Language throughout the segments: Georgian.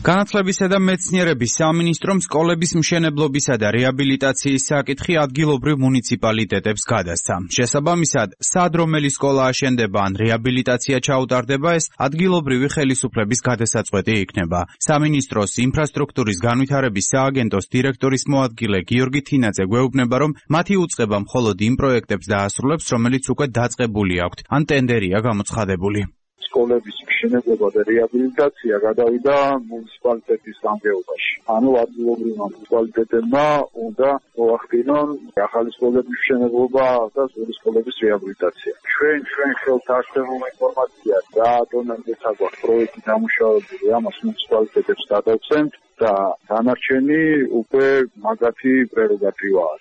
განათლებისა და მეცნიერების სამინისტრომ სკოლების მშენებლობისა და რეაბილიტაციის საკითხი ადგილობრივ მუნიციპალიტეტებს გადასცა. შესაბამისად, სად რომელი სკოლა აშენდება ან რეაბილიტაცია ჩაუტარდება, ეს ადგილობრივი ხელისუფლების გადასაწყვეტი იქნება. სამინისტროს ინფრასტრუქტურის განვითარების სააგენტოს დირექტორის მოადგილე გიორგი თინაძე გვეუბნება, რომ მათი უწყება მხოლოდ იმ პროექტებს დაასრულებს, რომელიც უკვე დაწყებული აქვთ, ან ტენდერია გამოცხადებული. სკოლების მშენებლობა და რეაბილიტაცია გადავიდა მუნიციპალიტეტის გამგეობაში. ანუ ადგილობრივმა მუნიციპალიტეტებმა უნდა მოახდინონ ახალი სკოლების მშენებლობა და სკოლების რეაბილიტაცია. ჩვენ ხელთ არსებულ ინფორმაციას რა დონემდეც აგვაქვს პროექტი დამუშავებული, ამას მუნიციპალიტეტებს გადავცემთ და დანარჩენი უკვე მაგათი პრეროგატივაა.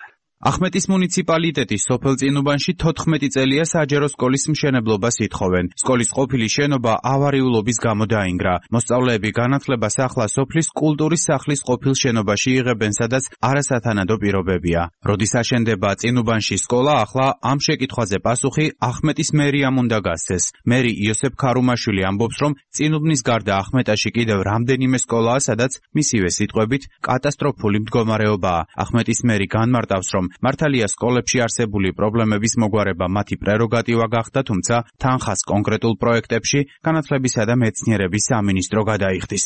ახმეტის მუნიციპალიტეტის სოფელ წინუბანში 14 წელია საჯარო სკოლის მშენებლობას ითხოვენ. სკოლის ყოფილი შენობა ავარიულობის გამო დაინგრა. მოსწავლეები განათლებას ახლა სოფლის კულტურის სახლის ყოფილ შენობაში იღებენ, სადაც არასათანადო პირობებია. როდის აშენდება წინუბანში სკოლა, ახლა ამ შეკითხვაზე პასუხი ახმეტის მერიამ უნდა გასცეს. მერი იოსებ ქარუმაშვილი ამბობს, რომ წინუბნის გარდა ახმეტაში კიდევ რამდენიმე სკოლაა, სადაც მისივე სიტყვებით კატასტროფული მდგომარეობაა. ახმეტის მერი განმარტავს, რომ მართალია სკოლებში არსებული პრობლემების მოგვარება მათი პრეროგატივა გახდა, თუმცა თანხას კონკრეტულ პროექტებში განათლებისა და მეცნიერების სამინისტრო გადაიხდის.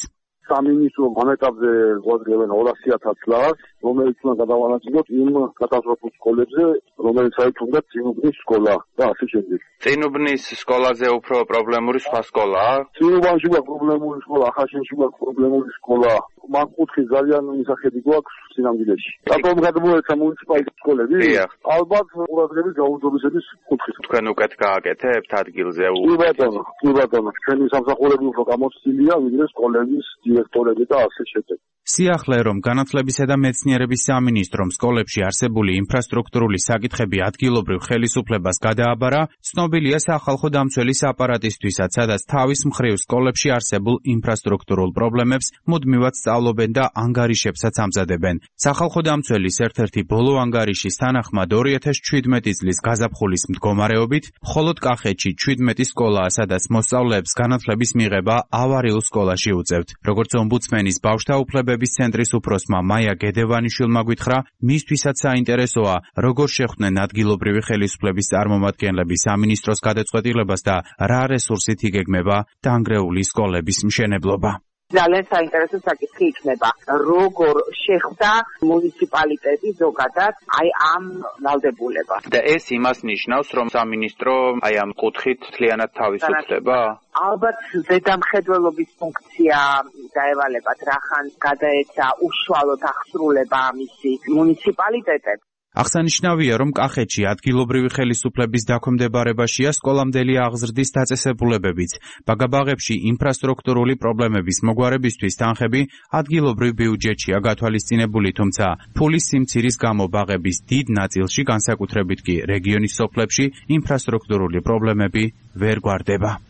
სამინისტრო ამ ეტაპზე გვაძლევენ 200,000 ლარს, რომელიც უნდა გადავანაწილოთ იმ კატასტროფულ სკოლებზე, რომელიც აითუნდა წინუბნის სკოლა და ასე შემდეგ. წინუბნის სკოლაზე უფრო პრობლემური სხვა სკოლაა? წინუბანში გვაქვს პრობლემური სკოლა, ახალშენში გვაქვს პრობლემური სკოლა. მან კუთხე ძალიან მისახედი გვაქვს სინამდვილეში. რატომ გადმოეცა მუნიციპალიტეტის სკოლები? ალბათ ყურადღების გაუძლებლობის კუთხით. თქვენ უკეთ გააკეთებთ ადგილზე? კი ბატონო, ჩვენი სამსახურები უფრო გამოცდილია, ვიდრე სკოლების დირექტორები და ასე შემდეგ. სიახლე, რომ განათლებისა და მეცნიერების სამინისტრომ სკოლებში არსებული ინფრასტრუქტურული საკითხები ადგილობრივ ხელისუფლებას გადააბარა, ცნობილია სახალხო დამცველის აპარატისთვისაც, სადაც თავის მხრივ სკოლებში არსებულ ინფრასტრუქტურულ პრობლემებს მუდმივად სწავლობენ და ანგარიშებსაც ამზადებენ. სახალხო დამცველის ერთ-ერთი ბოლო ანგარიშის თანახმად 2017 წლის გაზაფხულის მდგომარეობით მხოლოდ კახეთში 17 სკოლაა, სადაც მოსწავლეებს განათლების მიღება ავარიულ სკოლაში უწევთ. როგორც ომბუდსმენის ბავშვთა უფლებების ცენტრის უფროსმა მაია გედევანიშვილმა გითხრა, მისთვისაც საინტერესოა, როგორ შეხვდნენ ადგილობრივი ხელისუფლების წარმომადგენლები სამინისტროს გადაწყვეტილებას და რა რესურსით იგეგმება დანგრეული სკოლების მშენებლობა. ძალიან საინტერესო საკითხი იქნება, როგორ შეხვდა მუნიციპალიტეტი ზოგადად ამ ვალდებულებას. და ეს იმას ნიშნავს, რომ სამინისტრო ამ კუთხით მთლიანად თავისუფლდება? ალბათ ზედამხედველობის ფუნქცია დაევალებათ, რახან გადაეცა უშუალოდ აღსრულება მისი მუნიციპალიტეტებს. აღსანიშნავია, რომ კახეთში ადგილობრივი ხელისუფლების დაქვემდებარებაშია სკოლამდელი აღზრდის დაწესებულებებიც. ბაგაბაღებში ინფრასტრუქტურული პრობლემების მოგვარებისთვის თანხები ადგილობრივ ბიუჯეტშია გათვალისწინებული, თუმცა ფულის სიმცირის გამო ბაღების დიდ ნაწილში, განსაკუთრებით კი რეგიონის სოფლებში, ინფრასტრუქტურული პრობლემები ვერ გვარდება.